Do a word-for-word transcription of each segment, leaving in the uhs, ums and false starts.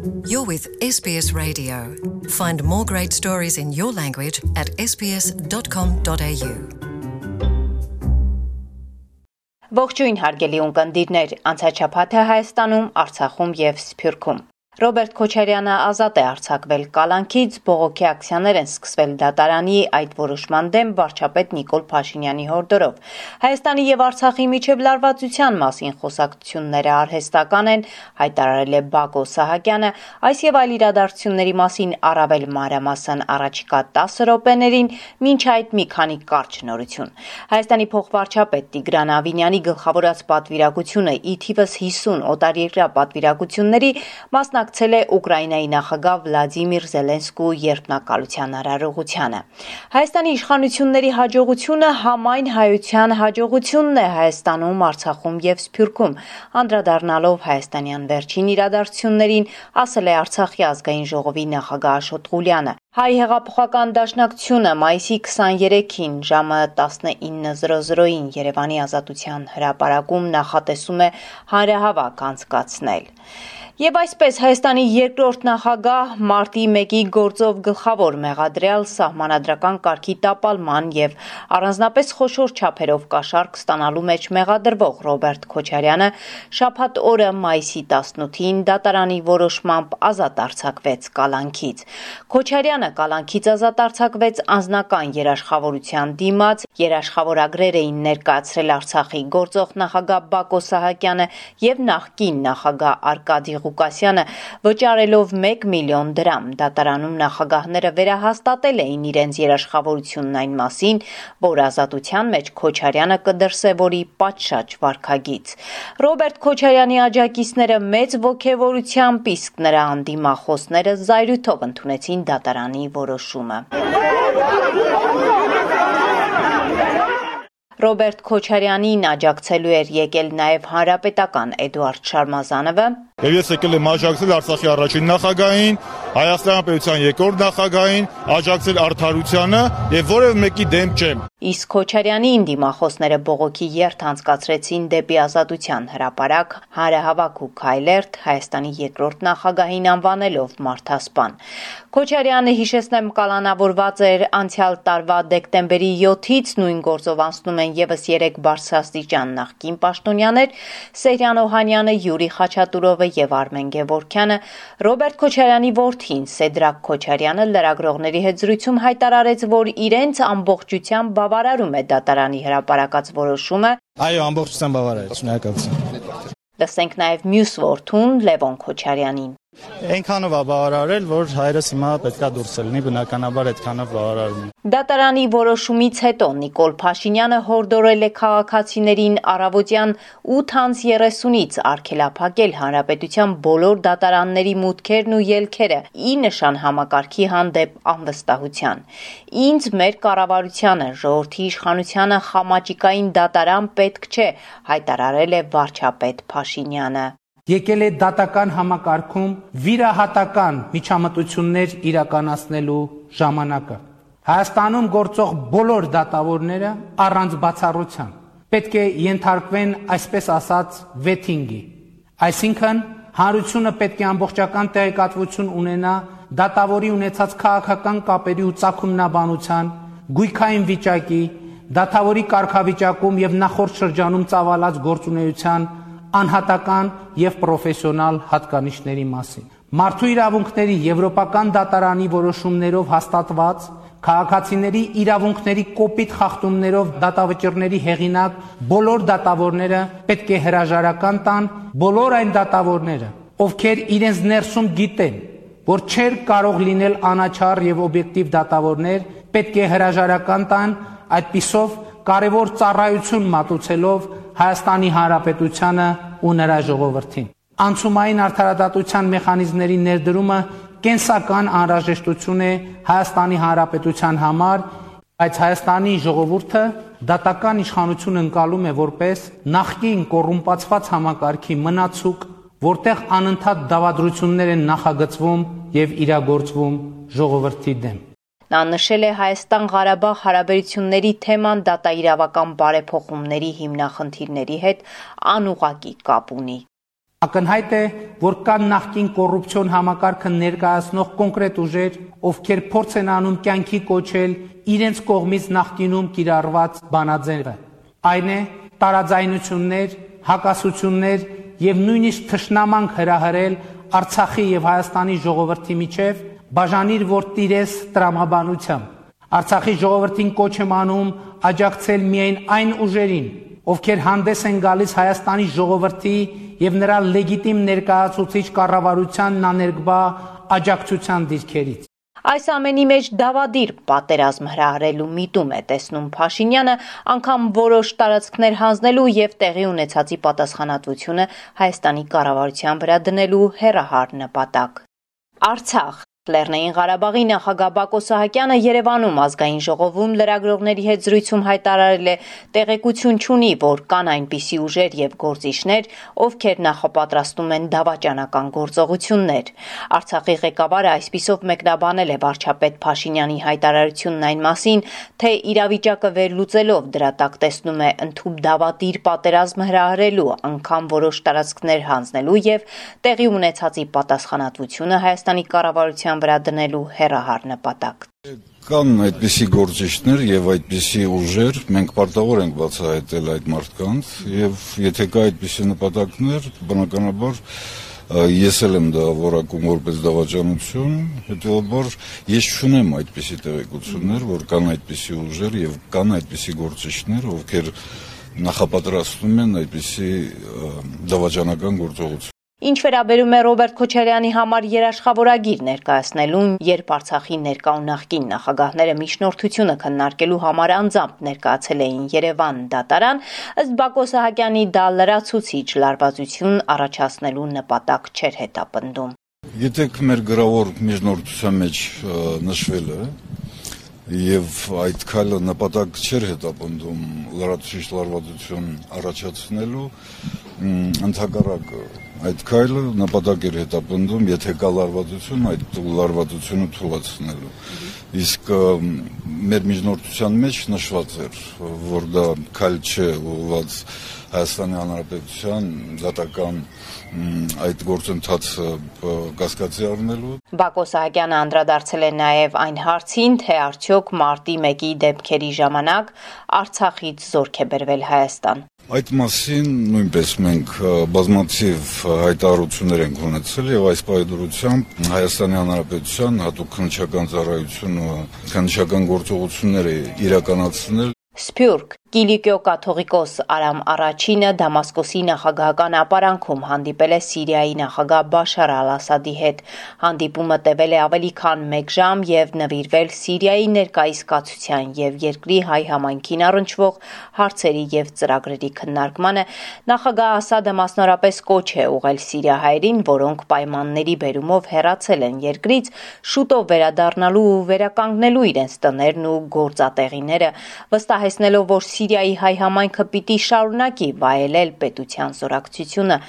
You're with S B S Radio. Find more great stories in your language at s b s dot com dot a u. Ողջույն հարգելի ունկնդիրներ, անցաչափաթը Հայաստանում, Արցախում եւ Սփյուռքում։ Ռոբերտ Քոչարյանը ազատ է արձակվել կալանքից, բողոքի ակցիաներ են սկսվել դատարանի այդ որոշման դեմ վարչապետ Նիկոլ Փաշինյանի հորդորով։ Հայաստանի եւ Արցախի միջև լարվածության մասին խոսակցությունները արհեստական են, հայտարարել է Բակո Սահակյանը, այս եւ այլ իրադարձությունների մասին առավել մանրամասն առաջիկա տասը րոպեներին, մինչ այդ մի քանի կարճ նորություն։ Հայաստանի փոխվարչապետ Տիգրան Ավինյանի գլխավորած պատվիրակությունը ի թիվս հիսուն օտարերկրյա պատվիրակությունների մասնակցել ակցել է Ուկրաինայի նախագահ Վլադիմիր Զելենսկու երդմնակալության արարողությանը։ Հայաստանի իշխանությունների հաջողությունը համայն հայության հաջողությունն է Հայաստանում, Արցախում եւ Սփյուռքում, անդրադառնալով հայաստանյան վերջին իրադարձություններին, ասել է Արցախի ազգային ժողովի նախագահ Աշոտ Ղուլյանը։ Հայ հեղափոխական դաշնակցությունը մայիսի քսաներեքին ժամը տասնինը զրո զրոյին Երևանի Ազատության հրապարակում նախատեսում է հանրահավաք անցկացնել։ Եվ այսպես Հայաստանի երկրորդ նախագահ մարտի մեկի գործով գլխավոր մեղադրյալ սահմանադրական կարգի տապալման եւ առանձնապես խոշոր չափերով կաշառք ստանալու մեջ մեղադրվող Ռոբերտ Քոչարյանը շաբաթ օրը մայիսի տասնութին դատարանի որոշմամբ ազատ արձակվեց կալանքից։ Քոչարյանը կալանքից ազատ արձակվեց անձնական երաշխավորության դիմաց, երաշխավորագրեր էին ներկայացրել Արցախի գործող նախագահ Բակո Սահակյանը եւ նախկին նախագահ Արկադի Ղուկասյանը վճարելով մեկ միլիոն դրամ։ Դատարանում նախագահները վերահաստատել էին իրենց երաշխավորությունն այն մասին, որ ազատության մեջ Քոչարյանը կդրսևորի պատշաճ վարքագիծ։ Ռոբերտ Քոչարյանի աջակիցները մեծ ոգևորությամբ, իսկ նրա անդիմախոսները զայրույթով ընդունեցին դատարանի որոշումը։ Ռոբերտ Քոչարյանին աջակցելու էր եկել նաև հանրապետական Էդուարդ Շարմազանովը։ Եվ ես եկել եմ աջակցել Արցախի առաջին նախագահին, Հայաստանի պետության երկրորդ նախագահին, աջակցել արդարությանը եւ որևէ մեկի դեմ չեմ։ Իսկ Քոչարյանի դիմախոսները բողոքի երթ անցկացրեցին դեպի Ազատության հրապարակ, հանրահավաք ու քայլերթ Հայաստանի երկրորդ նախագահին անվանելով մարդասպան։ Քոչարյանը, հիշեցնեմ, կալանավորված էր անցյալ տարվա դեկտեմբերի յոթից, նույն գործով անցնում են եւս երեք բարձրաստիճան նախկին պաշտոնյաներ Սեյրան Օհանյանը, Յուրի Խաչատուրովը եւ Արմեն Գևորգյանը։ Ռոբերտ Քոչարյանի որդին Սեդրակ Քոչարյանը լրագրողների հետ զրույցում հայտարարեց, որ իրենց ամբողջությամբ բավարարում է դատարանի հրապարակած որոշումը։ Այո, ամբողջությամբ բավարար է, շնորհակալություն։ Լսենք նաեւ մյուս որդուն Լևոն Քոչարյանին։ Այնքանով է բավարարել, որ հայրս հիմա պետքա դուրս լինի, բնականաբար այդքանով բավարարում է։ Դատարանի որոշումից հետո Նիկոլ Փաշինյանը հորդորել է քաղաքացիներին առավոտյան ութ երեսունից արգելափակել հանրապետության բոլոր դատարանների մուտքերն ու ելքերը՝ ի նշան համակարգի հանդեպ անվստահության։ Ինձ մեր կառավարությանը, ժողովրդի իշխանությանը խամաճիկային դատարան պետք չէ, հայտարարել է վարչապետ Փաշինյանը։ Եկել է դատական համակարգում վիրահատական միջամտություններ իրականացնելու ժամանակը։ Հայաստանում գործող բոլոր դատավորները առանց բացառության պետք է ենթարկվեն, այսպես ասած, վեթինգի։ Այսինքն, հանրությունը պետք է ամբողջական տեղեկատվություն ունենա դատավորի ունեցած քաղաքական կապերի ու ծագումնաբանության, գույքային վիճակի, դատավորի կարգավիճակում եւ նախորդ շրջանում ծավալած գործունեության անհատական եւ պրոֆեսիոնալ հատկանիշների մասին։ Մարդու իրավունքների Եվրոպական դատարանի որոշումներով հաստատված քաղաքացիների իրավունքների կոպիտ խախտումներով դատավճիռների հեղինակ բոլոր դատավորները պետք է հրաժարական տան, բոլոր այն դատավորները, ովքեր իրենց ներսում գիտեն, որ չեր կարող լինել անաչառ եւ օբյեկտիվ դատավորներ, պետք է հրաժարական տան, այդպիսով կարևոր ծառայություն մատուցելով Հայաստանի Հանրապետությանը ու նրա ժողովրդին։ Անցումային արդարադատության մեխանիզմների ներդրումը կենսական անհրաժեշտություն է Հայաստանի Հանրապետության համար, բայց Հայաստանի ժողովուրդը դատական իշխանություն ընկալում է որպես նախկին կոռումպացված համակարգի մնացուկ, որտեղ անընդհատ դավադրություններ են նախագծվում եւ իրագործվում ժողովրդի դեմ։ Նա նշել է Հայաստան-Ղարաբաղ հարաբերությունների թեման դատաիրավական բարեփոխումների հիմնախնդիրների հետ անուղղակի կապ ունի։ Ակնհայտ է, որ կան նախկին կոռուպցիոն համակարգը ներկայացնող կոնկրետ ուժեր, ովքեր փորձ են անում կյանքի կոչել իրենց կողմից նախկինում կիրառված բանաձևը։ Այն է տարաձայնություններ, հակասություններ եւ նույնիսկ թշնամանք հրահրել Արցախի եւ Հայաստանի ժողովրդի միջև, բաժանիր որ տիրես տրամաբանությամբ։ Արցախի ժողովրդին կոչ եմ անում աջակցել միայն այն ուժերին, ովքեր հանդես են գալիս Հայաստանի ժողովրդի եւ նրա լեգիտիմ ներկայացուցիչ կառավարությանն աներկբա աջակցության դիրքերից։ Այս ամենի մեջ դավադիր պատերազմ հրահրելու միտում է տեսնում Փաշինյանը, անգամ որոշ տարածքներ հանձնելու եւ տեղի ունեցածի պատասխանատվությունը Հայաստանի կառավարության վրա դնելու հեռահար նպատակ։ Արցախ Լեռնային Ղարաբաղի նախագահ Բակո Սահակյանը Երևանում ազգային ժողովում լրագրողների հետ զրույցում հայտարարել է տեղեկություն չունի, որ կան այնպիսի ուժեր եւ գործիչներ, ովքեր նախապատրաստում են դավաճանական գործողություններ։ Արցախի ղեկավարը այսպիսով մեկնաբանել է վարչապետ Փաշինյանի հայտարարությունն այն մասին, թե իրավիճակը վերլուծելով դրա տակ տեսնում է ընդհանուր դավադիր պատերազմ հրահրելու, անգամ որոշ տարածքներ հանձնելու եւ տեղի ունեցածի պատասխանատվությունը Հայաստանի կառավարության վրա դնելու հեռահար նպատակ։ Կան այդպիսի գործիչներ եւ այդպիսի ուժեր, մենք պարտավոր ենք բացահայտել այդ մարդկանց եւ եթե կա այդպիսի նպատակներ, բնականաբար ես էլ եմ դա որակում որպես դավաճանություն, հետեւաբար ես չունեմ այդպիսի տեղեկություններ, որ կան այդպիսի ուժեր եւ կան այդպիսի գործիչներ, ովքեր նախապատրաստում են այդպիսի դավաճանական գործողություն։ Ինչ վերաբերում է Ռոբերտ Քոչարյանի համար երաշխավորագիր ներկայացնելուն, երբ Արցախի ներկա ու նախկին նախագահները միջնորդությունը քննարկելու համար անձամբ ներկայացել էին Երևան դատարան, ըստ Բակո Սահակյանի դա լրացուցիչ լարվածություն առաջացնելու նպատակ չէր հետապնդում։ Գիտեք, մեր գրավոր միջնորդության մեջ նշվել է եւ այդ քայլը նպատակ չէր հետապնդում լրացուցիչ լարվածություն առաջացնելու, ընդհակառակը այդ քայլը նպատակ էր հետապնդում, եթե կա լարվածություն, այդ լարվածությունը թույլատնելու։ Իսկ մեր միջնորդության մեջ նշված էր, որ դա քայլ չէ ուղղված Հայաստանի Հանրապետության դատական այդ գործընթացը կասկածի առնելու։ Բակո Սահակյանը անդրադարձել է նաև այն հարցին, թե արդյոք մարտի մեկի դեպքերի ժամանակ Արցախից զորք է բերվել Հայաստան։ Այդ մասին նույնպես մենք բազմաթիվ հայտարարություններ ենք ունեցել եւ այս պայմանությամբ Հայաստանի Հանրապետության հատուկ քննչական ծառայությունը քննչական գործողություններ է իրականացնել։ Սփյուռք Կիլիկիո կաթողիկոս Արամ Առաջինը Դամասկոսի նախագահական ապարանքում հանդիպել է Սիրիայի նախագահ Բաշար Ալ-Ասադի հետ։ Հանդիպումը տևել է ավելի քան մեկ ժամ եւ նվիրվել Սիրիայի ներկայիս կացության եւ երկրի հայ համայնքին առնչվող հարցերի եւ ծրագրերի քննարկմանը։ Նախագահ Ասադը մասնորապես կոչ է ուղղել սիրիահայերին, որոնք պայմանների բերումով հեռացել են երկրից, շուտով վերադառնալու ու վերականգնելու իրենց տներն ու գործատեղիները, վստահեցնելով, որ Սիրիայի հայ համայնքը պիտի շարունակի վայելել պետության զորակցությունը,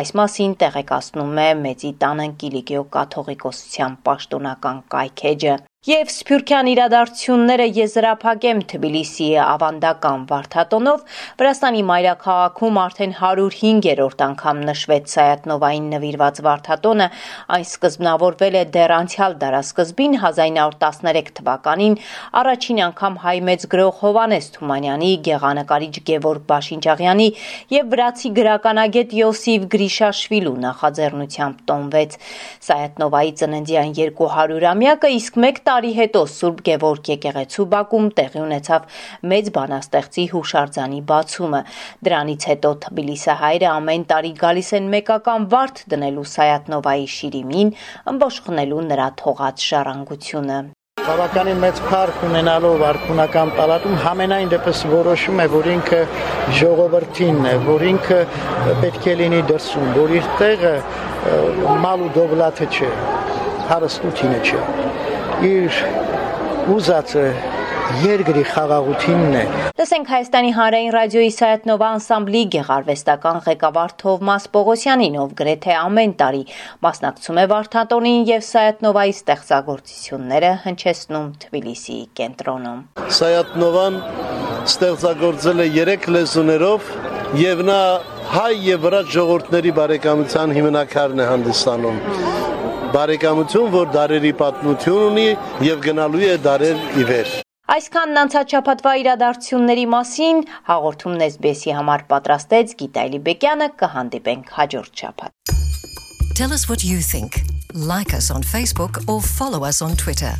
այս մասին տեղեկացնում է Մեծի տանը Կիլիկիո կաթողիկոսության պաշտոնական կայքեջը։ Եվ սփյուռքյան իրադարձությունները եզրափակեմ Թբիլիսիի ավանդական վարդատոնով, Վրաստանի մայրաքաղաքում արդեն հարյուր հինգերորդ անգամ նշվեց Սայաթ-Նովային նվիրված վարդատոնը, այն սկզբնավորվել է դեռ անցյալ դարասկզբին հազար ինը հարյուր տասներեք թվականին, առաջին անգամ հայ մեծ գրող Հովհաննես Թումանյանի, գեղանկարիչ Գևորգ Բաշինջաղյանի եւ վրացի գրականագետ Յոսիֆ Գրիշաշվիլու նախաձեռնությամբ տոնվեց։ Սայաթ-Նովայի ծննդյան երկու հարյուրամյակը իսկ մեկ տարի հետո Սուրբ Գևորգ եկեղեցու բակում տեղի ունեցավ մեծ բանաստեղծի հուշարձանի բացումը։ Դրանից հետո թբիլիսահայերը ամեն տարի գալիս են մեկական վարդ դնելու Սայաթ-Նովայի շիրիմին, ըմբոշխնելու նրա թողած ժառանգությունը։ Բավականին մեծ փառք ունենալով արքունական պալատում համենայն դեպս որոշում է, որ ինքը ժողովրդինն է, որ ինքը պետք է լինի դրսում, որ իր տեղը մալ ու դովլաթը չէ, հարստությունը չէ, իր ուզածը երկրի խաղաղությունն է։ Տեսենք Հայաստանի հանրային ռադիոյի Սայաթ-Նովա անսամբլի գեղարվեստական ղեկավար Թովմաս Պողոսյանին, ով գրեթե ամեն տարի մասնակցում է վարդատոնին եւ Սայաթ-Նովայի ստեղծագործությունները հնչեցնում Թբիլիսիի կենտրոնում։ Սայաթ-Նովան ստեղծագործել է երեք լեզուներով եւ նա հայ եւ վրաց ժողովուրդների բարեկամության հիմնակարն է հանդիսանում։ Բարեկամություն, որ դարերի պատմություն ունի եւ գնալու է դարեր ի վեր։ Այսքանն անցած շաբաթվա իրադարձությունների մասին հաղորդումն էս բի էսի համար պատրաստեց Գիտալի Բեկյանը, կհանդիպենք հաջորդ շաբաթ։ Tell us what you think. Like us on Facebook or follow us on Twitter.